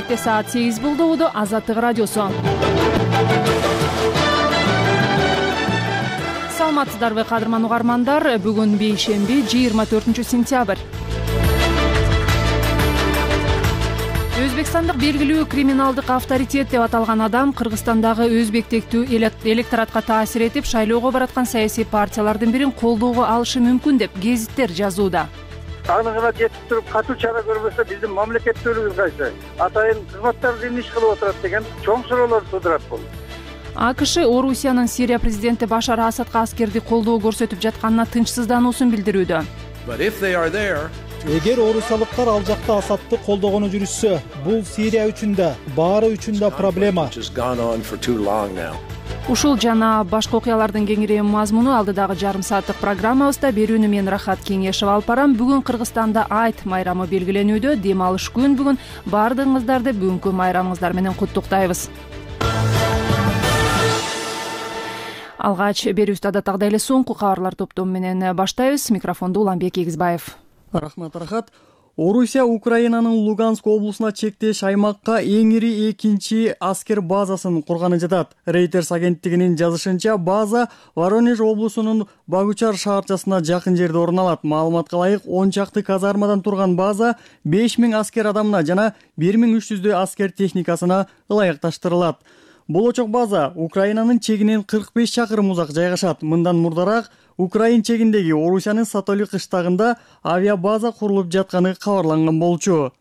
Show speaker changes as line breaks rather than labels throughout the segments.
Кенжебекте саат 8 болду. Азаттык радиосу. Саламатсыздарбы кадырман угармандар? Бүгүн бейшемби 24-сентябрь. Өзбекстандык белгилүү криминалдык авторитет деп аталган адам Кыргызстандагы өзбектектүү электоратка таасир этип, шайлоого бараткан саясий партиялардын бирин колдоого алышы мүмкүн деп гезиттер жазууда.
Аны гана жетип туруп катуу чара көрбөсө биздин мамлекеттүүлүгүбүз кайсы? Атайын кызматтар эмне иш кылып отурат деген чоң суроолор туудурат бул.
АКШ Орусиянын Сирия президенти Башар Асадка аскерди колдоо көрсөтүп жатканына тынчсыздануусун билдирүүдө.
Эгер орусиялыктар ал жакта Асадты колдогону жүрүшсө, бул Сирия үчүн да, баары үчүн да проблема.
Ушул жана башка окуялардын кеңири мазмуну алдыдагы жарым сааттык программабызда берүүнү мен Рахат Кеңешева алып барам. Бүгүн Кыргызстанда Айт майрамы белгиленүүдө. Дем алыш күн бүгүн. Баардыгыңыздарды бүгүнкү майрамыңыздар менен куттуктайбыз. Алгач берүүбүздү адаттагыдай эле соңку кабарлар топтому менен баштайбыз. Микрофонду Уланбек Эгизбаев.
Рахмат, Рахат. Орусия Украинанын Луганск облусуна чектеш аймакка эң ири экинчи аскер базасын курганы жатат. Reuters агенттигинин жазышынча, база Воронеж облусунун Багучар шаарчасына жакын жерде орун алат. Маалыматка ылайык, 10 чакты казармадан турган база 5000 аскер адамына жана 1300 аскер техникасына ылайыкташтырылат. Болочок база Украинанын чегинен 45 чакырым узак жайгашат. Мындан мурдараак Украин чегиндеги Орусиянын Сатоли кыштагында авиабаза курулуп жатканы кабарланган болчу.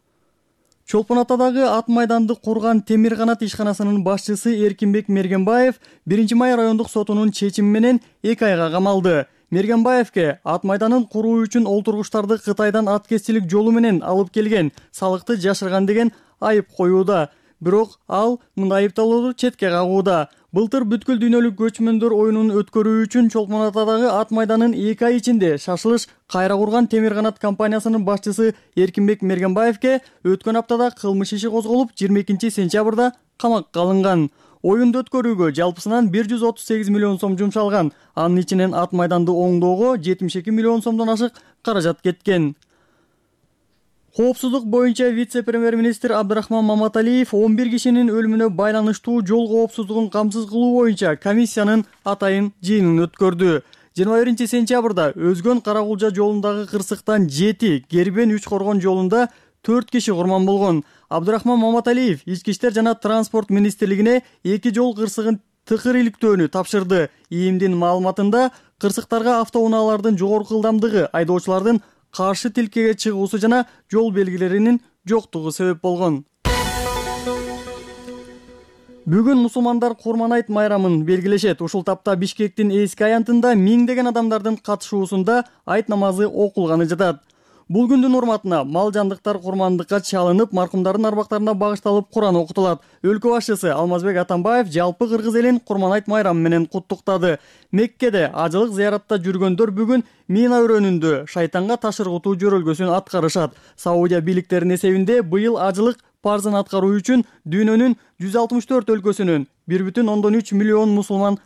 Чолпон Атадагы ат майданды курган Темир канат ишканасынын башчысы Эркинбек Мергенбаев 1-май райондук сотунун чечими менен 2 айга камалды. Мергенбаевке ат майданын куруу үчүн олтургучтарды Кытайдан аткезчилик жолу менен алып келген, салыкты жашырган деген айып коюуда. Бирок ал мындай айыпталууну четке кагууда. Былтыр бүткүл дүйнөлүк көчмөндөр оюнун өткөрүү үчүн Чолпон Атадагы ат майданын 2 ай ичинде шашылыш кайра курган Темир канат компаниясынын башчысы Эркинбек Мергенбаевке өткөн аптада кылмыш иши козголуп, 22-сентябрда камакка алынган. Оюнду өткөрүүгө жалпысынан 138 миллион сом жумшалган. Анын ичинен ат майданды оңдоого 72 миллион сомдон ашык каражат кеткен. Коопсуздук боюнча вице-премьер-министр Абдрахман Маматалиев 11 кишинин өлүмүнө байланыштуу жол коопсуздугун камсыз кылуу боюнча комиссиянын атайын жыйынын өткөрдү. 21-сентябрда Өзгөн Каракулжа жолундагы кырсыктан 7, Кербен 3 коргон жолунда 4 киши курман болгон. Абдрахман Маматалиев Ички иштер жана транспорт министрлигине 2 жол кырсыгын тыкыр иликтөөнү тапшырды. ИИМдин маалыматында кырсыктарга автоунаалардын жогорку ылдамдыгы, айдоочулардын каршы тилкеге чыгуусу жана жол белгилеринин жоктугу себеп болгон. Бүгүн мусулмандар Курман айт майрамын белгилешет. Ушул тапта Бишкектин эски аянтында миңдеген адамдардын катышуусунда айт намазы окулганы жатат. Бул күндүн урматына мал жандыктар курмандыкка чалынып, маркумдардын арбактарына багышталып Куран окутулат. Өлкө башчысы Алмазбек Атамбаев жалпы кыргыз элин Курман айт майрамы менен куттуктады. Меккеде ажылык зыяратта жүргөндөр бүгүн Мина өрөөнүндө шайтанга таш ыргытуу жөрөлгөсүн аткарышат. Саудия бийликтеринин эсебинде быйыл ажылык парзын аткаруу үчүн дүйнөнүн 164 өлкөсүнөн 1,3 миллион мусулман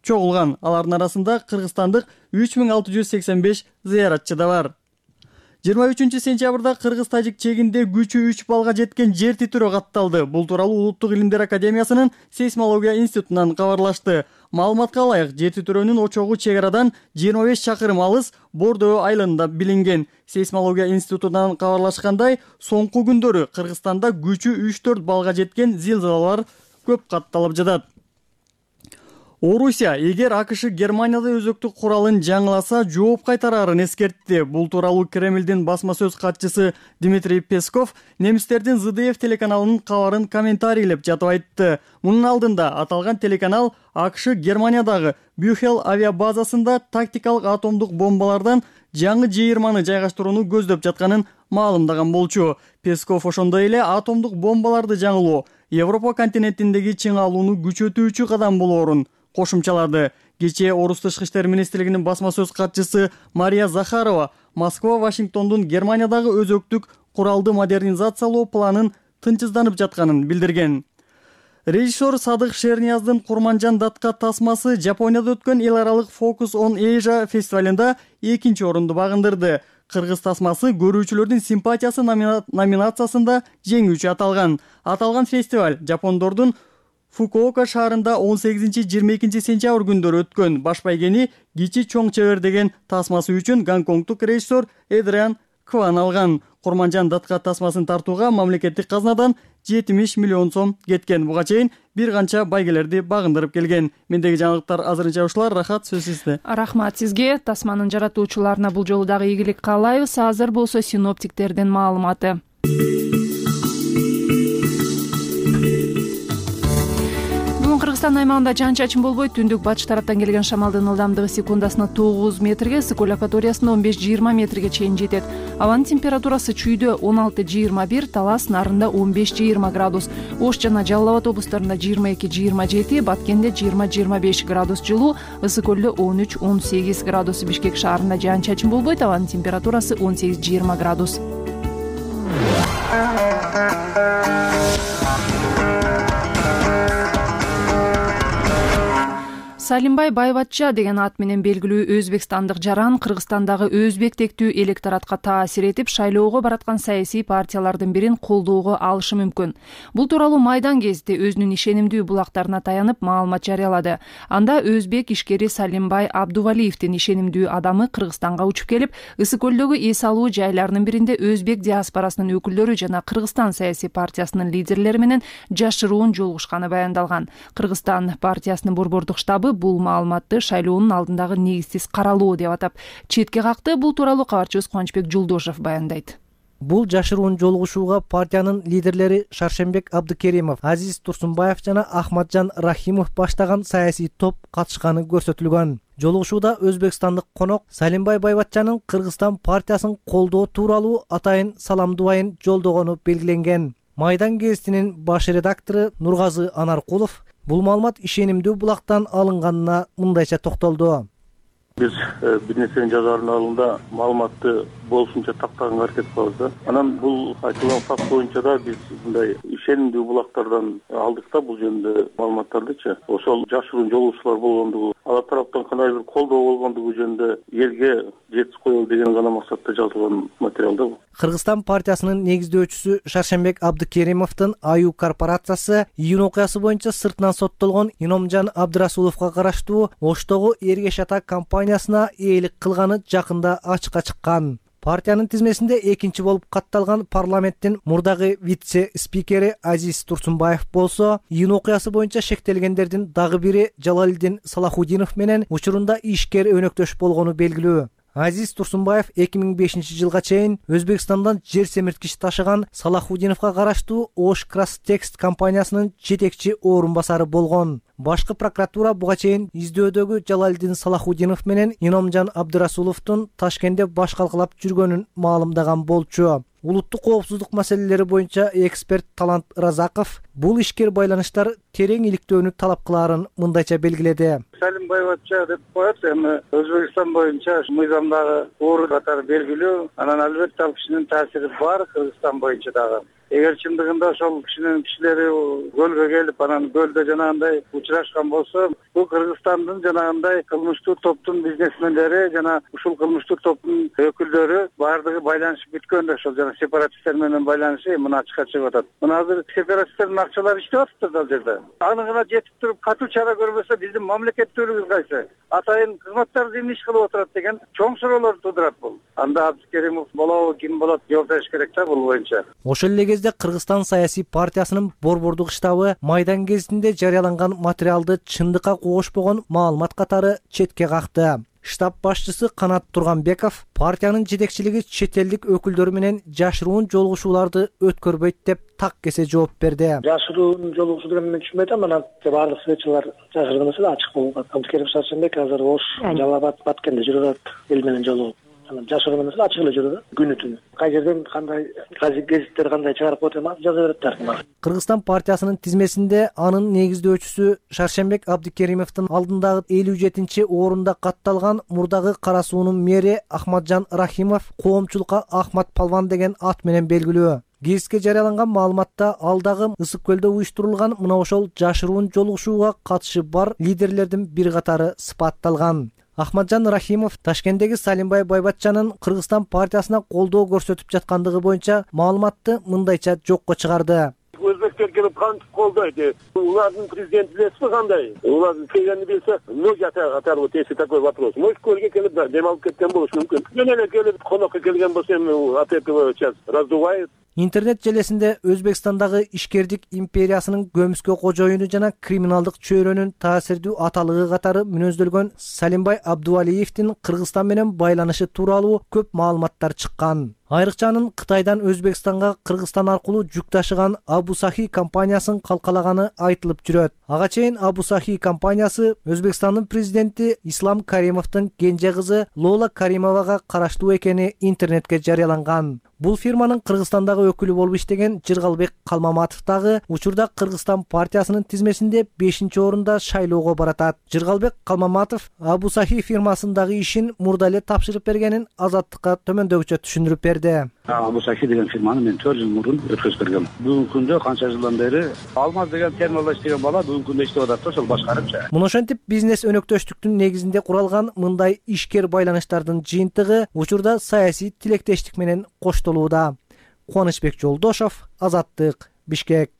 чогулган. Алардын арасында кыргызстандык 3685 зыяратчы да бар. 23-сентябрда Кыргыз-Тажик чегинде күчү 3 балга жеткен жер титирөө катталды. Бул тууралуу Улуттук илимдер академиясынын сейсмология институтунан кабарлашты. Маалыматка ылайык, жер титирөөнүн очогу чек арадан 25 чакырым алыс Бордөө айылында билинген. Сейсмология институтунан кабарлашкандай, соңку күндөрү Кыргызстанда күчү 3-4 балга жеткен зилзалалар көп катталып жатат. Орусия эгер АКШ Германияда өзөктүк куралын жаңыласа жооп кайтарарын эскертти. Бул тууралуу Кремлдин басма сөз катчысы Дмитрий Песков немистердин ЗДФ телеканалынын кабарын комментарийлеп жатып айтты. Мунун алдында аталган телеканал АКШ Германиядагы Бюхел авиабазасында тактикалык атомдук бомбалардан жаңы жыйырманы жайгаштырууну көздөп жатканын маалымдаган болчу. Песков ошондой эле атомдук бомбаларды жаңылоо Европа континентиндеги чыңалууну күчөтүүчү кадам болоорун кошумчалады. Кечээ Орус тышкы иштер министрлигинин басма сөз катчысы Мария Захарова Москва Вашингтондун Германиядагы өзөктүк куралды модернизациялоо планын тынчсызданып жатканын билдирген. Режиссер Садык Шернияздын Курманжан датка тасмасы Жапонияда өткөн эл аралык Focus on Asia фестивалында 2-орунду багындырды. кыргыз тасмасы көрүүчүлөрдүн симпатиясы номинациясында жеңүүчү аталган. Аталган фестиваль Жапондордун Фукуока шаарында 18-22 сентябрь күндөрү өткөн. Баш байгени Кичи чоң чебер деген тасмасы үчүн гонконгдук режиссер Эдриан Кван алган. Курманжан Датка тасмасын тартууга мамлекеттик казнадан 70 миллион сом кеткен. Буга чейин бир канча байгелерди багындырып келген. Мендеги жаңылыктар азырынча ушулар. Рахат, сөз сизде.
Рахмат сизге. Тасманын жаратуучуларына бул жолу дагы ийгилик каалайбыз. Азыр болсо синоптиктердин маалыматы. Кыргызстан аймагында жаан-чачын болбойт. Түндүк батыш тараптан келген шамалдын ылдамдыгы секундасына 9 метрге, Сыкөл акваториясында 15-20 метрге чейин жетет. Абанын температурасы Чүйдө 16-21, Талас нарында 15-20 градус, Ош жана Жалал Абад облустарында 22-27, Баткенде 20-25 градус жылуу, Ысык-Көлдө 13-18 градус, Бишкек шаарында жаан-чачын болбойт. Абанын температурасы 18-20 градус. Салимбай Байбатча деген ат менен белгилүү өзбекстандык жаран Кыргызстандагы өзбек тектүү электоратка таасир этип, шайлоого бараткан саясий партиялардын бирин колдоого алышы мүмкүн. Бул тууралуу Майдан гезити өзүнүн ишенимдүү булактарына таянып маалымат жарыялады. Анда өзбек ишкери Салимбай Абдувалиевдин ишенимдүү адамы Кыргызстанга учуп келип, Ысык-Көлдөгү эс алуу жайларынын биринде өзбек диаспорасынын өкүлдөрү жана Кыргызстан саясий партиясынын лидерлери менен жашыруун жолугушканы баяндалган. Кыргызстан партиясынын борбордук штабы бул маалыматты шайлоонун алдындагы негизсиз каралуу деп атап четке какты. Бул тууралуу кабарчыбыз Кубанычбек Жулдошев баяндайт.
Бул жашыруун жолугушууга партиянын лидерлери Шаршембек Абдыкеримов, Азиз Турсунбаев жана Ахматжан Рахимов баштаган саясий топ катышканы көрсөтүлгөн. Жолугушууда өзбекстандык конок Салимбай Байбатчанын Кыргызстан партиясын колдоо тууралуу атайын салам дубайын жолдогону белгиленген. Майдан гезитинин баш редактору Нургазы Анаркулов бул маалымат ишенимдүү булактан алынганына мындайча токтолду.
Биз бир нерсени жазаардын алдында маалыматты болушунча тактаганга аракет кылабыз да. Анан бул айтылган факт боюнча да биз мындай ишенимдүү булактардан алдык да бул жөнүндө маалыматтардычы. Ошол жашыруун жолугушуулар болгондугу, ала тараптан кандай бир колдоо болгондугу жөнүндө элге жеткиз коелу деген гана максатта жазылган материал да бул.
Кыргызстан партиясынын негиздөөчүсү Шаршембек Абдыкеримовдун Аю корпорациясы июнь окуясы боюнча сыртынан соттолгон Иномжан Абдырасуловго караштуу Оштогу Эргеш ата компаниясына ээлик кылганы жакында ачыкка чыккан. Партиянын тизмесинде экинчи болуп катталган парламенттин мурдагы вице-спикери Азиз Турсунбаев болсо, июнь окуясы боюнча шектелгендердин дагы бири Жалалидин Салахудинов менен учурунда ишкер өнөктөш болгону белгилүү. Азиз Турсунбаев 2005 жылга чейин Өзбекстандан жер семирткич ташыган Салахудиновго караштуу Ош Крастекст компаниясынын жетекчи орун басары болгон. Башкы прокуратура буга чейин издөөдөгү Жалалидин Салахудинов менен Иномжан Абдырасуловдун Ташкентте баш калкалап жүргөнүн маалымдаган болчу. Улуттук коопсуздук маселелери боюнча эксперт Талант Разаков бул ишкер байланыштар терең иликтөөнү талап кылаарын мындайча белгиледи.
Салим Байбатча деп коет, эми Өзбекстан боюнча мыйзамдагы орун катары белгилүү. Анан албетте ал кишинин таасири бар Кыргызстан боюнча дагы. Эгер чындыгында ошол кишинин кишилери көлгө келип, анан көлдө жанагындай учурашкан болсо, бул Кыргызстандын жанагындай кылмыштуу топтун бизнесмендери жана ушул кылмыштуу топтун өкүлдөрү баардыгы байланышып бүткөн да, ошол жана сепаратисттер менен байланышы мына ачыкка чыгып атат. Мына азыр сепаратисттердин акчалары иштеп атат да ал жерде. Аны гана жетип туруп катуу чара көрбөсө биздин мамлекеттүүлүгүбүз кайсы? Атайын кызматтар эмне иш кылып отурат деген чоң суроолор туудурат бул. Анда Абдыкеримов болобу, ким болот, жооп бериш керек да бул боюнча.
Ошол эле кезде Кыргызстан саясий партиясынын борбордук штабы Майдан гезитинде жарыяланган материалды чындыкка кошпогон маалымат катары четке какты. Штаб башчысы Канат Турганбеков партиянын жетекчилиги чет элдик өкүлдөр менен жашыруун жолугушууларды өткөрбөйт деп так кесе жооп берди.
Жашыруун жолугушуу деген мен түшүнбөйт, анан баардык светчилар жашырган эмес, ачык болгон. Абдыкерим Шаршембек азыр Ош, Жалал Абад, Баткенде жүрүп атат, эл менен жолугуп. Жашыруун эмес, ачык эле жүрүп, күнү түнү. Кай жерден кандай гезиттер кандай чыгарып коет эми жаза берет.
Кыргызстан партиясынын тизмесинде анын негиздөөчүсү Шаршембек Абдыкеримовдун алдындагы 57-чи орунда катталган мурдагы Кара суунун мэри Ахматжан Рахимов коомчулукка Ахмат Палван деген ат менен белгилүү. Гезитке жарыяланган маалыматта алдагы Ысык-Көлдө уюштурулган мына ошол жашыруун жолугушууга катышы бар лидерлердин бир катары сыпатталган. Ахматжан Рахимов Ташкенттеги Салимбай Байбатчанын Кыргызстан партиясына колдоо көрсөтүп жаткандыгы боюнча маалыматты мындайча жокко чыгарды.
Өзбектер келип кантип колдойт? Улардын президенти билесизби кандай? Улар келгенди билсе, ноги оторвут, если такой вопрос. Может, көлгө келип дем алып кеткен болушу мүмкүн. Эле келип конокко келген болсо эми от этого сейчас раздувает.
Интернет желесинде Өзбекстандагы ишкердик империясынын көмүскө кожоюну жана криминалдык чөйрөнүн таасирдүү аталыгы катары мүнөздөлгөн Салимбай Абдувалиевдин Кыргызстан менен байланышы тууралуу көп маалыматтар чыккан. Айрыкча анын Кытайдан Өзбекстанга Кыргызстан аркылуу жүк ташыган Абу Сахи компаниясын калкалаганы айтылып жүрөт. Ага чейин Абу Сахи компаниясы Өзбекстандын президенти Ислам Каримовдун кенже кызы Лола Каримовага караштуу экени интернетке жарыяланган. Бул фирманын Кыргызстандагы өкүлү болуп иштеген Жыргалбек Калмаматов дагы учурда Кыргызстан партиясынын тизмесинде 5-орунда шайлоого баратат. Жыргалбек Калмаматов Абу Сахи фирмасындагы ишин мурда эле тапшырып бергенин Азаттыкка төмөндөгүчө түшүндүрүп берди.
Абу Сахи деген фирманы мен 4 жыл мурун өткөзүп бергем. Бүгүнкү күндө канча жылдан бери Алмаз деген терминалда иштеген бала бүгүнкү күндө иштеп атат да, ошол башкарып.
Муну ошентип бизнес өнөктөштүктүн негизинде куралган мындай ишкер байланыштардын жыйынтыгы учурда саясий тилектештик менен коштолууда. Кубанычбек Жолдошов, Азаттык, Бишкек.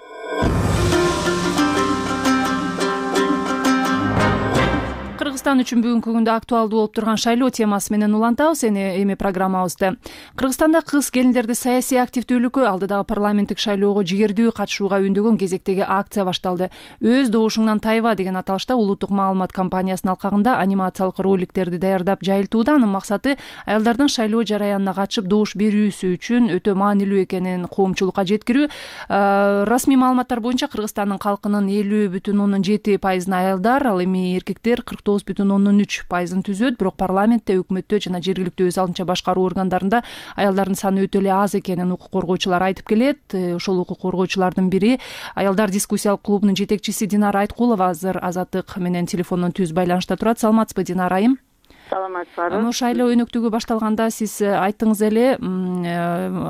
Кыргызстан үчүн бүгүнкү күндө актуалдуу болуп турган шайлоо темасы менен улантабыз эми программабызды. Кыргызстанда кыз келиндерди саясий активдүүлүккө, алдыдагы парламенттик шайлоого жигердүү катышууга үндөгөн кезектеги акция башталды. Өз добушуңдан тайба деген аталышта улуттук маалымат компаниясынын алкагында анимациялык роликтерди даярдап жайылтууда. Анын максаты аялдардын шайлоо жараянына катышып добуш берүүсү үчүн өтө маанилүү экенин коомчулукка жеткирүү. Расмий маалыматтар боюнча Кыргызстандын калкынын 50,7% аялдар, ал эми эркектер 49,3% түзөт. Бирок парламентте, өкмөттө жана жергиликтүү өз алдынча башкаруу органдарында аялдардын саны өтө эле аз экенин укук коргоочулар айтып келет. Ошол укук коргоочулардын бири аялдар дискуссиялык клубунун жетекчиси Динара Айткулова азыр Азаттык менен телефондон түз байланышта турат. Саламатсызбы, Динара айым?
Саламатсызбы.
Шайлоо өнөктүгү башталганда сиз айттыңыз эле,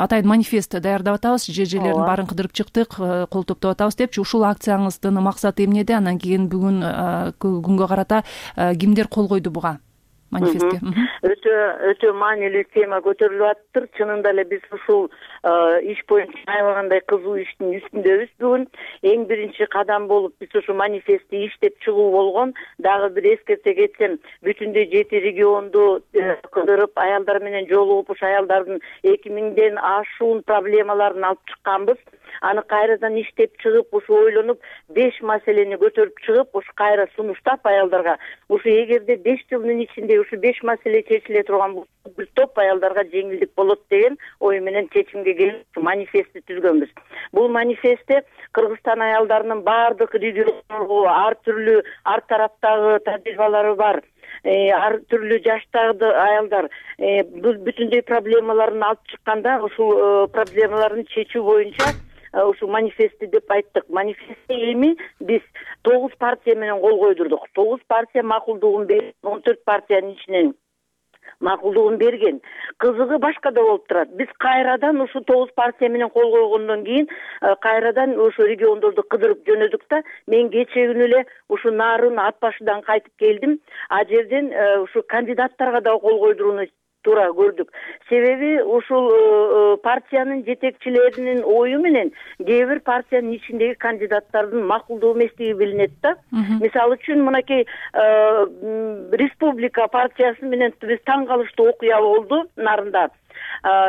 атайын манифест даярдап атабыз, жер-жерлердин баарын кыдырып чыктык, кол топтоп атабыз депчи. Ушул акцияңыздын максаты эмнеде? Андан кийин бүгүн күнгө карата кимдер кол койду буга манифестке?
Өтө маанилүү тема көтөрүлүп атыптыр. Чынында эле биз ушул иш боюнча аябагандай кызуу иштин үстүндөбүз. Бүгүн эң биринчи кадам болуп биз ушу манифестти иштеп чыгуу болгон. Дагы бир эскерте кетсем, бүтүндөй 7 регионду кыдырып, аялдар менен жолугуп, ушу аялдардын 2000ден ашуун проблемаларын алып чыкканбыз. Аны кайрадан иштеп чыгып, ушу ойлонуп, 5 маселени көтөрүп чыгып, ушу кайра сунуштап аялдарга, ушу эгерде 5 жылдын ичинде ушу 5 маселе чечиле турган болсо, бир топ аялдарга жеңилдик болот деген ой менен чечимге келип манифестти түзгөнбүз. Бул манифестте Кыргызстан аялдарынын баардык региондорго ар түрлүү ар тараптагы тажрыйбалары бар, ар түрлүү жаштагы аялдар бүтүндөй проблемаларын алып чыкканда, ушул проблемаларын чечүү боюнча ушу манифестти деп айттык. Манифестте эми биз 9 партия менен кол койдурдук. 9 партия макулдугун берип, 14 партиянын ичинен макулдугун берген. Кызыгы башкада болуп турат. Биз кайрадан ушу 9 партия менен кол койгондон кийин кайрадан ушу региондорду кыдырып жөнөдүк да, мен кече күнү эле ушу Нарын Ат башыдан кайтып келдим. А жерден ушу кандидаттарга да кол койдурууну туура көрдүк. Себеби ушул партиянын жетекчилеринин ою менен кээ бир партиянын ичиндеги кандидаттардын макулдуу эместиги билинет да. Мисалы үчүн мынакей Республика партиясы менен биз таң калыштуу окуя болду Нарында.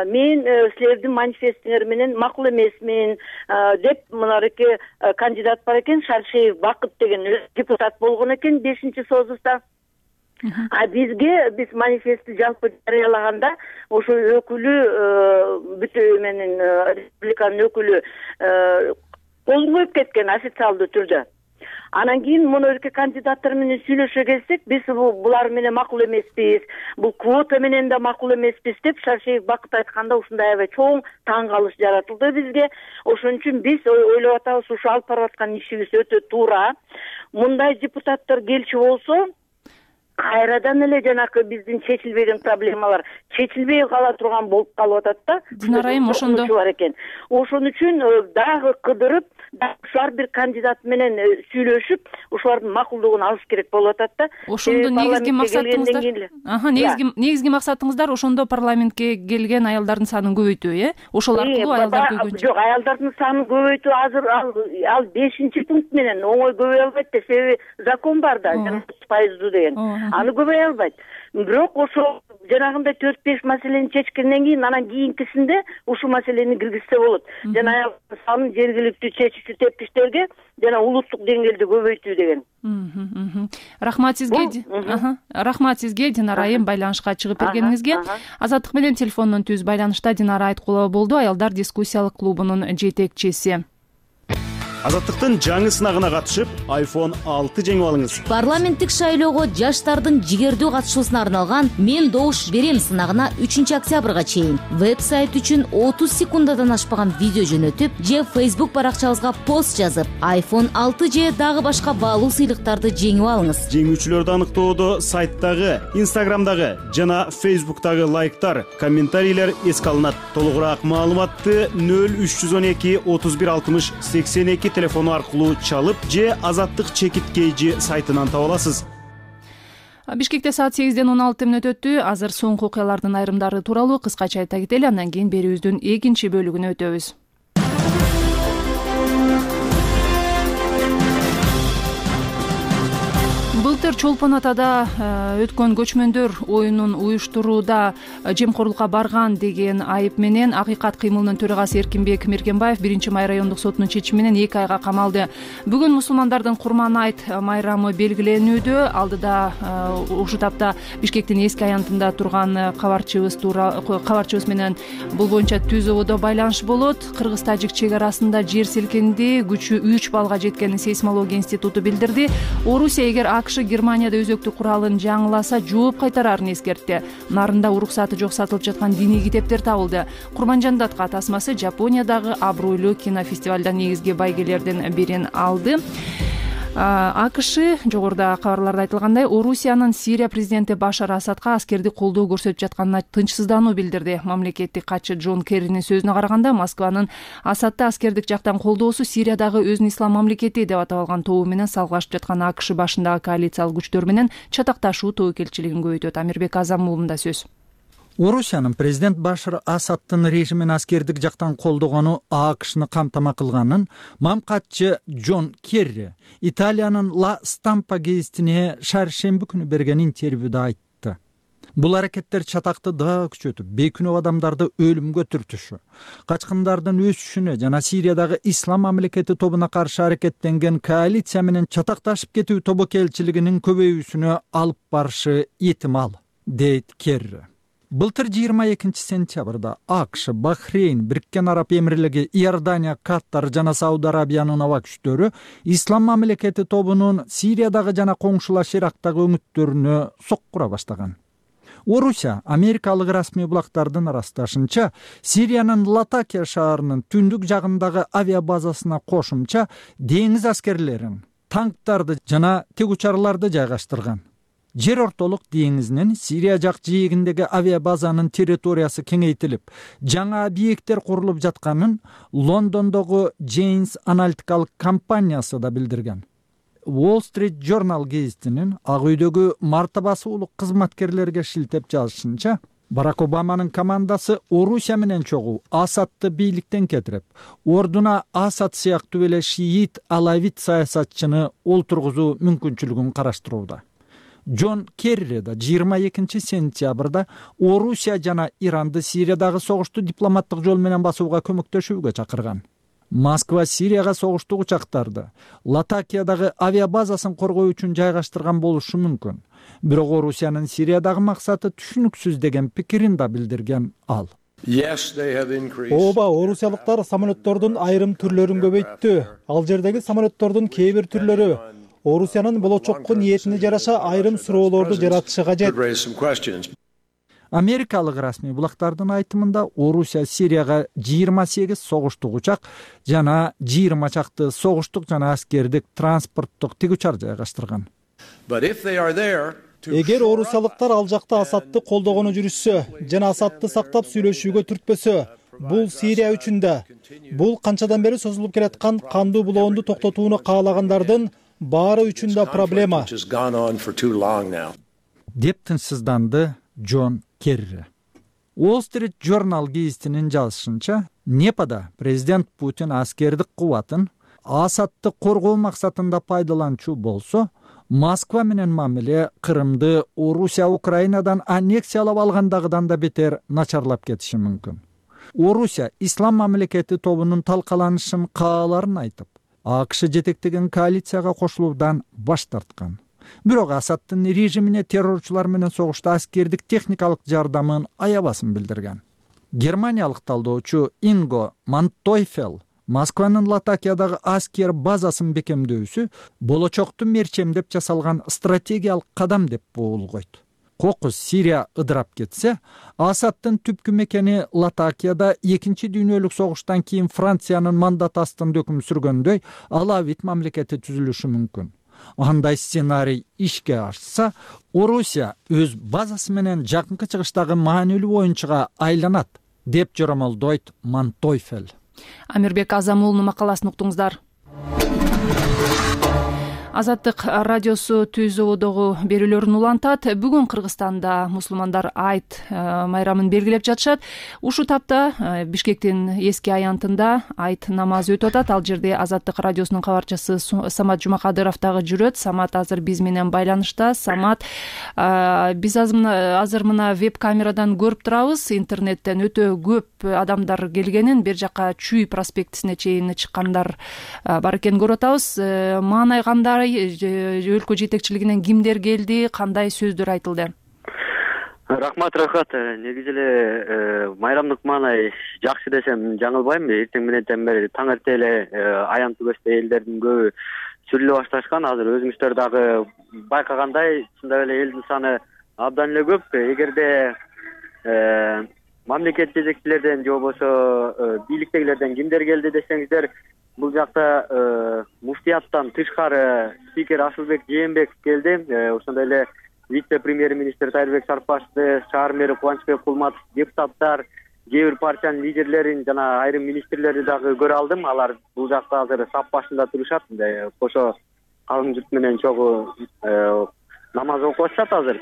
Мен силердин манифестиңер менен макул эмесмин деп мынакей кандидат бар экен, Шаршеев Бакыт деген депутат болгон экен 5-созуста. А биз манифестти жалпы жарыялаганда ошо өкүлү бүтү менен республиканын өкүлү кол коюп кеткен официалдуу түрдө. Анан кийин муну кандидаттар менен сүйлөшө келсек, биз булар менен макул эмеспиз, бул квота менен да макул эмеспиз деп Шаршеев Бакыт айтканда ушундай аябай чоң таң калыш жаратылды бизге. Ошон үчүн биз ойлоп атабыз, ушу алып барып аткан ишибиз өтө туура. Мындай депутаттар келчү болсо, кайрадан эле жанакы биздин чечилбеген проблемалар чечилбей кала турган болуп калып атат да.
Динара айым, ошондо
бар экен. Ошон үчүн дагы кыдырып ар бир кандидат менен сүйлөшүп ушулардын макулдугун алыш керек болуп атат да.
Ошондо негизги максатыңыздар негизги максатыңыздар ошондо парламентке келген аялдардын санын көбөйтүү, ошол аркылуу аялдар көбөйгөнчө.
Жок, аялдардын санын көбөйтүү азыр ал 5-пункт менен оңой көбөйө албайт да, себеби закон бар да, 30% деген. Аны көбөйө албайт. Бирок ошол жанагындай 4-5 маселени чечкенден кийин анан кийинкисинде ушул маселени киргизсе болот. Жана аялдардын санын жергиликтүү чечүүчү тепкичтерге жана улуттук деңгээлде көбөйтүү деген.
Рахмат сизге. Рахмат сизге, Динара айым, байланышка чыгып бергениңизге. Азаттык менен телефондон түз байланышта Динара Айткулова болду, аялдар дискуссиялык клубунун жетекчиси.
Азаттыктын жаңы сынагына катышып, iPhone 6 жеңип алыңыз.
Парламенттик шайлоого жаштардын жигердүү катышуусуна арналган «Мен добуш берем» сынагына 3-октябрга чейин веб-сайт үчүн 30 секундадан ашпаган видео жөнөтүп, же Facebook баракчабызга пост жазып, iPhone 6 же дагы башка баалуу сыйлыктарды жеңип алыңыз.
Жеңүүчүлөрдү аныктоодо сайттагы, Instagramдагы жана Facebook'тагы лайктар, комментарийлер эске алынат. Толугураак маалыматты 0312 31 60 82 телефону аркылуу чалып же Азаттык чекиткейжи сайтынан таба аласыз.
Бишкекте саат 8-ден 16 мүнөт өттү. Азыр соңку окуялардын айрымдары тууралуу кыскача айта кетели, андан кийин берүүбүздүн экинчи бөлүгүнө өтөбүз. Былтыр Чолпон Атада өткөн көчмөндөр оюнун уюштурууда жемкорлукка барган деген айып менен Акыйкат кыймылынын төрагасы Эркинбек Мергенбаев 1-май райондук соттун чечими менен 2 айга камалды. Бүгүн мусулмандардын Курман айт майрамы белгиленүүдө. Алдыда ушул тапта Бишкектин эски аянтында турган кабарчыбыз менен бул боюнча түз ободо байланыш болот. Кыргыз-тажик чек арасында жер силкинди, күчү 3 баллга жеткенин сейсмология институту билдирди. Орусия эгер АКШ Германияда өзөктүк куралын жаңыласа жооп кайтарарын эскертти. Нарында уруксаты жок сатылып жаткан диний китептер табылды. Курманжандатка тасмасы Жапониядагы абройлуу кинофестивалда негизги байгелердин бирин алды. АКШ жогоруда кабарларда айтылгандай Орусиянын Сирия президенти Башар Асадка аскерди колдоо көрсөтүп жатканына тынчсыздануу билдирди. Мамлекеттик катчы Джон Керринин сөзүнө караганда, Москванын Асадты аскердик жактан колдоосу Сириядагы өзүн ислам мамлекети деп аталган тобу менен салгылашып жаткан АКШ башындагы коалициялык күчтөр менен чатакташуу тобокелчилигин көбөйтөт. Амирбек Азам уулунда сөз.
Орусиянын президент Башар Асадтын режимин аскердик жактан колдогону АКШны камтама кылганын мамкатчы Джон Керри Италиянын Ла Стампа гезитине шаршемби күнү берген интервьюда айтты. Бул аракеттер чатакты дагы күчөтүп, бейкүнөө адамдарды өлүмгө түртүшү, качкындардын өсүшүнө жана Сириядагы ислам мамлекети тобуна каршы аракеттенген коалиция менен чатакташып кетүү тобокелчилигинин көбөйүүсүнө алып барышы этимал, дейт Керри. Былтыр 22 сентябрда АКШ, Бахрейн, Бириккен Араб Эмирлиги, Иордания, Катар жана Сауд Арабиянын аба күчтөрү ислам мамлекети тобунун Сириядагы жана коңшулаш Ирактагы өңүттөрүнө соккура баштаган. Орусия америкалык расмий булактардын ырасташынча, Сириянын Латакия шаарынын түндүк жагындагы авиабазасына кошумча деңиз аскерлерин, танктарды жана тегучарларды жайгаштырган. Жер ортолук деңизинин Сирия жак жээгиндеги авиабазанын территориясы кеңейтилип, жаңа объекттер курулуп жатканын Лондондогу Janes аналитикалык компаниясы да билдирген. Wall Street Journal гезитинин Ак үйдөгү мартабасы улук кызматкерлерге шилтеп жазышынча, Барак Обаманын командасы Орусия менен чогуу Асадты бийликтен кетирип, ордуна Асад сыяктуу эле шиит алавит саясатчыны олтургузуу мүмкүнчүлүгүн караштырууда. Джон Керри да 22 сентябрда Орусия жана Иранды Сириядагы согушту дипломаттык жол менен басууга көмөктөшүүгө чакырган. Москва Сирияга согуштук учактарды Латакиядагы авиабазасын коргоо үчүн жайгаштырган болушу мүмкүн. Бирок Орусиянын Сириядагы максаты түшүнүксүз деген пикирин да билдирген ал.
Ооба, орусиялыктар самолеттордун айрым түрлөрүн көбөйттү. Ал жердеги самолеттордун кээ бир түрлөрү Орусиянын болочокко ниетине жараша айрым суроолорду жаратышы кажет.
Америкалык расмий булактардын айтымында Орусия Сирияга 28 согуштук учак жана 20 чакты согуштук жана аскердик транспорттук тигучар жайгаштырган.
Эгер орусиялыктар ал жакта Асадты колдогону жүрүшсө жана Асадты сактап сүйлөшүүгө түртпөсө, бул Сирия үчүн да. Бул канчадан бери созулуп келаткан кандуу булоонду токтотууну каалагандардын баары үчүн да проблема,
деп тынчсызданды Джон Керри. Wall Street Journal гезитинин жазышынча, Непада президент Путин аскердик кубатын Асадты коргоо максатында пайдаланчу болсо, Москва менен мамиле Крымды Орусия Украинадан аннексиялап алгандагыдан да бетер начарлап кетиши мүмкүн. Орусия ислам мамлекети тобунун талкаланышын кааларын айтып, АКШ жетектеген коалицияга кошулуудан баш тарткан. Бирок Асадтын режимине террорчулар менен согушта аскердик техникалык жардамын аябасын билдирген. Германиялык талдоочу Инго Мантойфел Москванын Латакиядагы аскер базасын бекемдөөсү болочокту мерчемдеп жасалган стратегиялык кадам деп боолгойт. Кокус Сирия ыдырап кетсе, Асадтын түпкү мекени Латакияда 2-чи дүйнөлүк согуштан кийин Франциянын мандат астында өкүм сүргөндөй Алавит мамлекети түзүлүшү мүмкүн. Андай сценарий ишке ашса, Орусия өз базасы менен жакынкы чыгыштагы маанилүү оюнчуга айланат, деп жоромолдойт Мантойфел.
Амирбек Азамуулунун макаласын уктуңуздар. Азаттык радиосу Түзөөдөгү берүүлөрүн улантат. Бүгүн Кыргызстанда мусулмандар Айт майрамын белгилеп жатышат. Ушул тапта Бишкектин эски аянтында Айт намазы өтүп атат. Ал жерде Азаттык радиосунун кабарчысы Самат Жумакадыров дагы жүрөт. Самат азыр биз менен байланышта. Самат, биз азыр мына веб камерадан көрүп турабыз. Интернеттен өтө көп адамдар келгенин, бер жака Чүй проспектисине чейин чыккандар бар экенин көрүп атабыз. Маанай кандай? Өлкө жетекчилигинен кимдер келди, кандай сөздөр айтылды?
Рахмат. Негизи эле майрамдык маанай жакшы десем жаңылбайм. Эртең менен бери таң эрте эле аян түгөстө элдердин көбү сүрүлө башташкан. Азыр өзүңүздөр дагы байкагандай, чындап эле элдин саны абдан эле көп. Эгерде мамлекет жетекчилерден же болбосо бийликтегилерден кимдер келди десеңиздер, бул жакта муфтияттан тышкары спикер Асылбек Жээнбеков келди. Ошондой эле вице-премьер-министр Тайырбек Сарыпбашевди, шаар мэри Кубанычбек Кулматов, депутаттар, кээ бир партиянын лидерлерин жана айрым министрлерди дагы көрө алдым. Алар бул жакта азыр сап башында турушат. Кошо калың журт менен чогуу намаз окуп атышат азыр.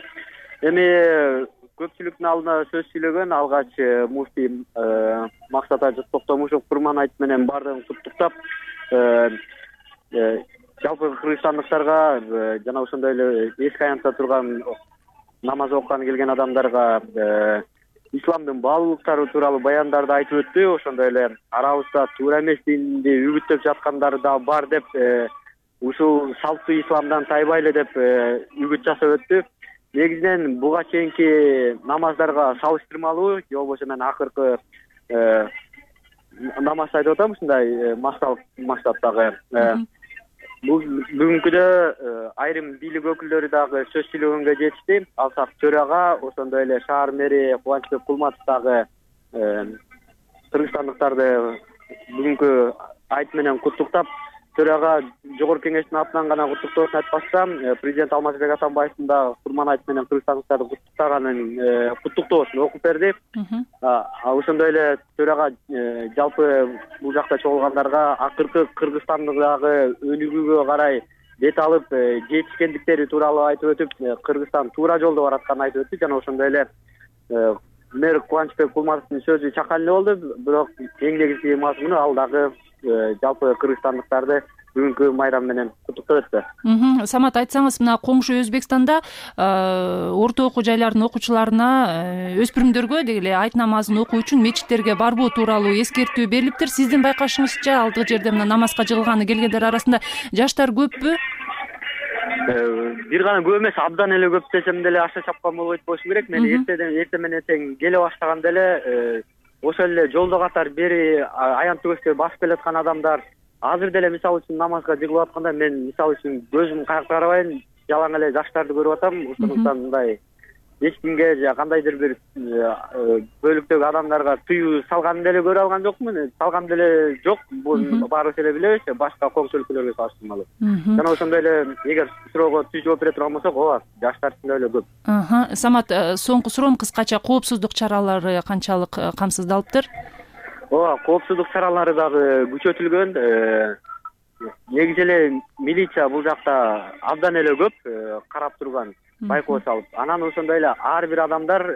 Эми көпчүлүктүн алдына сөз сүйлөгөн алгач муфтий Максат Ажы Токтомушев Курман айт менен баардыгын куттуктап, жалпы кыргызстандыктарга жана ошондой эле эски аянтта турган намаз окуганы келген адамдарга исламдын баалуулуктары тууралуу баяндарды айтып өттү. Ошондой эле арабызда туура эмес динди үгүттөп жаткандары да бар деп, ушул салттуу исламдан тайбайлы деп үгүт жасап өттү. Негизинен буга чейинки намаздарга салыштырмалуу, же болбосо мен акыркы намазды айтып атам ушундай максаттагы. Бүгүнкүдө айрым бийлик өкүлдөрү дагы сөз сүйлөгөнгө жетишти. Алсак төрага, ошондой эле шаар мэри Кубанычбек Кулматов дагы кыргызстандыктарды бүгүнкү айт менен куттуктап, төрага жогорку кеңештин атынан гана куттуктоосун айтпастан, президент Алмазбек Атамбаевдин да Курман айт менен кыргызстандыктарды куттуктаганын куттуктоосун окуп берди. Ошондой эле төрага жалпы бул жакта чогулгандарга акыркы Кыргызстандагы өнүгүүгө карай бет алып жетишкендиктери тууралуу айтып өтүп, Кыргызстан туура жолдо баратканын айтып өттү. Жана ошондой эле мэр Кубанычбек Кулматовдун сөзү чакан эле болду, бирок эң негизги мазмуну ал дагы жалпы кыргызстандыктарды бүгүнкү майрам менен куттуктап өттү.
Самат, айтсаңыз, мына коңшу Өзбекстанда орто окуу жайлардын окуучуларына, өспүрүмдөргө дегеле айт намазын окуу үчүн мечиттерге барбоо тууралуу эскертүү берилиптир. Сиздин байкашыңызча, алдыгы жерде мына намазга жыгылганы келгендер арасында жаштар көппү?
Бир гана көп эмес, абдан эле көп десем деле аша чапкан болбойт болушу керек. Мен эрте менен тең келе баштаганда эле ошол эле жолдо катар бери аян түгөстө басып келаткан адамдар азыр деле мисалы үчүн намазга жыгылып атканда мен мисалы үчүн көзүм каякта карабайм, жалаң эле жаштарды көрүп атам. Ошондуктан мындай эч кимге же кандайдыр бир бөлүктөгү адамдарга тыюу салганын деле көрө алган жокмун. Салган деле жок. Бул баарыбыз эле билебиз, башка коңшу өлкөлөргө салыштырмалуу. Жана ошондой эле эгер суроого түз жооп бере турган болсок, ооба, жаштар чындап эле көп.
Самат, соңку суроом кыскача, коопсуздук чаралары канчалык камсыздалыптыр?
ооба, коопсуздук чаралары дагы күчөтүлгөн. Негизи эле милиция бул жакта абдан эле көп карап турган, байкоо салып. Анан ошондой эле ар бир адамдар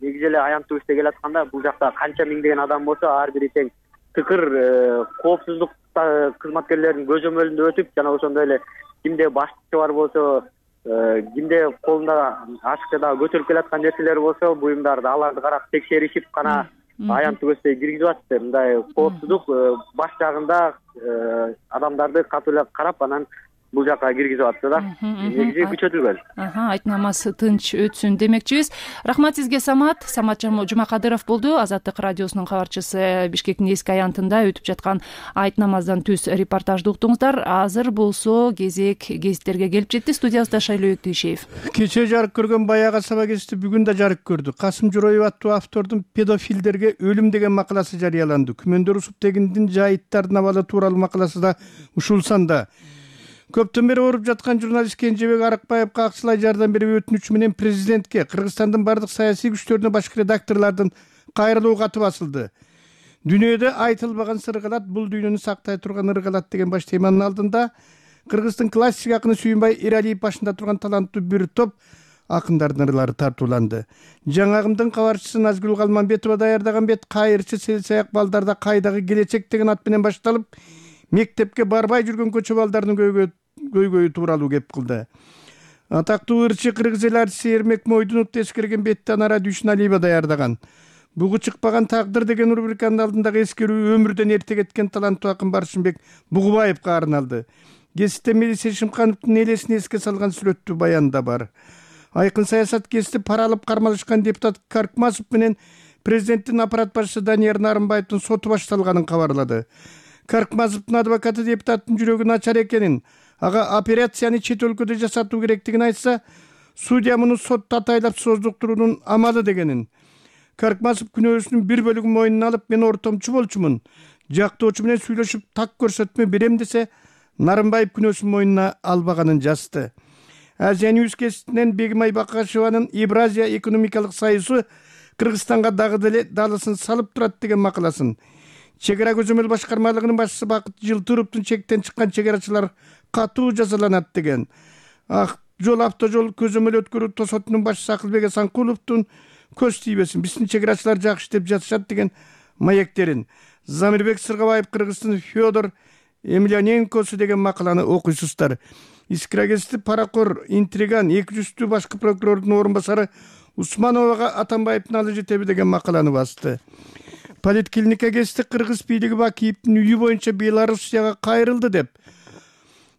негизи эле аянтыбызда келатканда бул жакта канча миңдеген адам болсо, ар бири тең тыкыр коопсуздук кызматкерлеринин көзөмөлүндө өтүп, жана ошондой эле кимде башчы бар болсо, кимде колунда ашыкча дагы көтөрүп келаткан нерселер болсо, буюмдарды аларды карап текшеришип гана аянттуу көздөй киргизип атышты. Мындай коопсуздук баш жагында адамдарды катуу эле карап, анан бул жака киргизип атты да. Негизи күчөтүлгөн.
Айтнамасы тынч өтсүн демекчибиз. Рахмат сизге, Самат. Самат Жумакадыров болду, Азаттык радиосунун кабарчысы. Бишкектин эски аянтында өтүп жаткан айт намаздан түз репортажды уктуңуздар. Азыр болсо кезек гезиттерге келип жетти. Студиябызда Шайлоо Өктөшев.
Кече жарык көргөн Баягы Саба гезити бүгүн да жарык көрдү. Касым Жороев аттуу автордун педофилдерге өлүм деген макаласы жарыяланды. Күмөндөр усуп дегиндин жайыттардын абалы тууралуу макаласы да ушул санда. Көптөн бери ооруп жаткан журналист Кенжебек Арыкбаевга акчалай жардам берүү өтүнүчү менен президентке, Кыргызстандын бардык саясий күчтөрүнө, башкы редакторлордун кайрылуу каты басылды. Дүйнөдө айтылбаган сыргалат, бул дүйнөнү сактай турган ыргалат деген баш теманын алдында Кыргыздын классик акыны Сүйүнбай Эралиев башында турган таланттуу бир топ акындардын ырлары тартууланды. Жаңагымдын кабарчысы Назгүл Калманбетова даярдаган бет кайырчы селсаяк балдарда кайдагы келечек деген ат менен башталып, мектепке барбай жүргөн көчө балдардын көйгөйү тууралуу кеп кылды. Атактуу ырчы кыргыз эл артисти Эрмек Мойдуновду эскерген бетти Анара Дүйшүналиева даярдаган. Бугу чыкпаган тагдыр деген рубриканын алдындагы эскерүү өмүрдөн эрте кеткен таланттуу акын Баршынбек Бугубаевга арналды. Гезитте Мелиса Шымкановдун элесин эске салган сүрөттүү баян да бар. Айкын саясат гезити пара алып кармалышкан депутат Каркмасов менен президенттин аппарат башчысы Данияр Нарымбаевдин соту башталганын кабарлады. Каркмазовдун адвокаты депутаттын жүрөгү начар экенин, ага операцияны чет өлкөдө жасатуу керектигин айтса, судья муну сотто атайлап создуктуруунун амалы дегенин. Каркмазов күнөөсүнүн бир бөлүгүн мойнуна алып, мен ортомчу болчумун, жактоочу менен сүйлөшүп так көрсөтмө берем десе, Нарымбаев күнөөсүн мойнуна албаганын жазды. Азия Ньюс гезитинен Бегимай Бакашеванын Евразия экономикалык союзу Кыргызстанга дагы деле далысын салып турат деген макаласын, Чек ара көзөмөл башкармалыгынын башчысы Бакыт Жылтыровдун чектен чыккан чек арачылар катуу жазаланат деген. Ак жол автожол көзөмөл өткөрүү тосотунун башчысы Акылбек Асанкуловдун көз тийбесин, биздин чек арачылар жакшы деп жатышат деген маектерин, Замирбек Сыргабаев Кыргыздын Федор Емельяненкосу деген макаланы окуйсуздар. Искра гезити паракор, интриган, 200 башкы прокурордун орун басары Усмановага Атамбаевдин алы жетеби деген макаланы басты. Политклиника гезити Кыргыз бийлиги Бакиевдин үйү боюнча Белоруссияга кайрылды деп,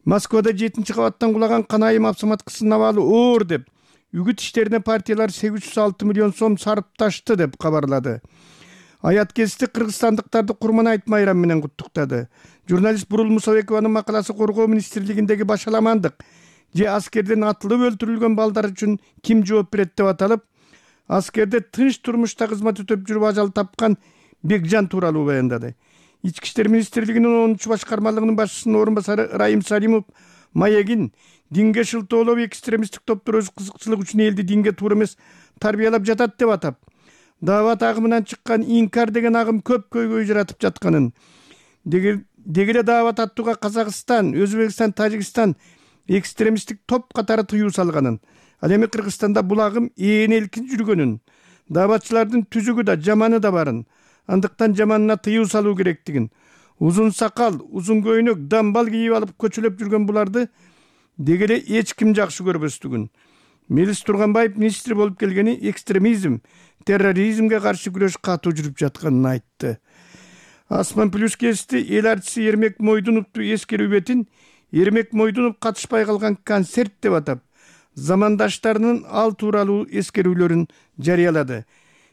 Москвада 7-кабаттан кулаган Канайым автоматкысынын абалы оор деп, үгүт иштерине партиялар 806 миллион сом сарпташты деп кабарлады. Аят гезити кыргызстандыктарды Курман айт майрамы менен куттуктады. Журналист Бурул Мусабекованын макаласы коргоо министрлигиндеги башаламандык же аскерден атылып өлтүрүлгөн балдар үчүн ким жооп берет деп аталып, аскерде тынч турмушта кызмат өтөп жүрүп ажал тапкан Бекжан тууралуу баяндады. Ички иштер министрлигинин 10 башкармалыгынын башчысынын орун басары Райым Салимов маегин динге шылтоолоо экстремисттик топтор өз кызыкчылык үчүн элди динге туура эмес тарбиялап жатат деп атап, даават агымынан чыккан инкар деген агым көп көйгөй жаратып жатканын, дегеле даават аттууга Казакстан, Өзбекстан, Тажикстан экстремисттик топ катары тыюу салганын, ал эми Кыргызстанда бул агым ээн-элкин жүргөнүн, дааватчылардын түзүгү да жаманы да барын, андыктан жаманына тыюу салуу керектигин, узун сакал, узун көйнөк, дамбал кийип алып көчөлөп жүргөн буларды дегеле эч ким жакшы көрбөстүгүн. Мелис Турганбаев министр болуп келгени экстремизм, терроризмге каршы күрөш катуу жүрүп жатканын айтты. Асман плюс гезити эл артисти Эрмек Мойдуновду эскерүү бетин Эрмек Мойдунов катышпай калган концерт деп атап, замандаштарынын ал тууралуу эскерүүлөрүн жарыялады.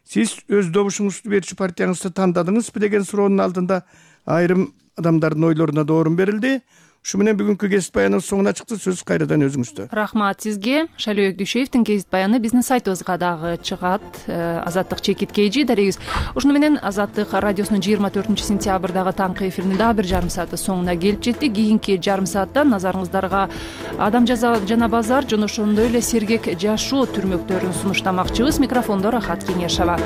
Сиз өз добушуңузду берчү партияңызды тандадыңызбы деген суроонун алдында айрым адамдардын ойлоруна да орун берилди. Ушу менен бүгүнкү гезит баяныбыз соңуна чыкты. Сөз кайрадан өзүңүздө.
Рахмат сизге. Шайлоо Өктөшевдин гезит баяны биздин сайтыбызга дагы чыгат. Азаттык чекит KG дарегиз. Ушуну менен Азаттык радиосунун 24-сентябрдагы таңкы эфиринин дагы бир жарым сааты соңуна келип жетти. Кийинки жарым саатта назарыңыздарга адам жана базар жана ошондой эле сергек жашоо түрмөктөрүн сунуштамакчыбыз. Микрофондо Рахат Кеңешова.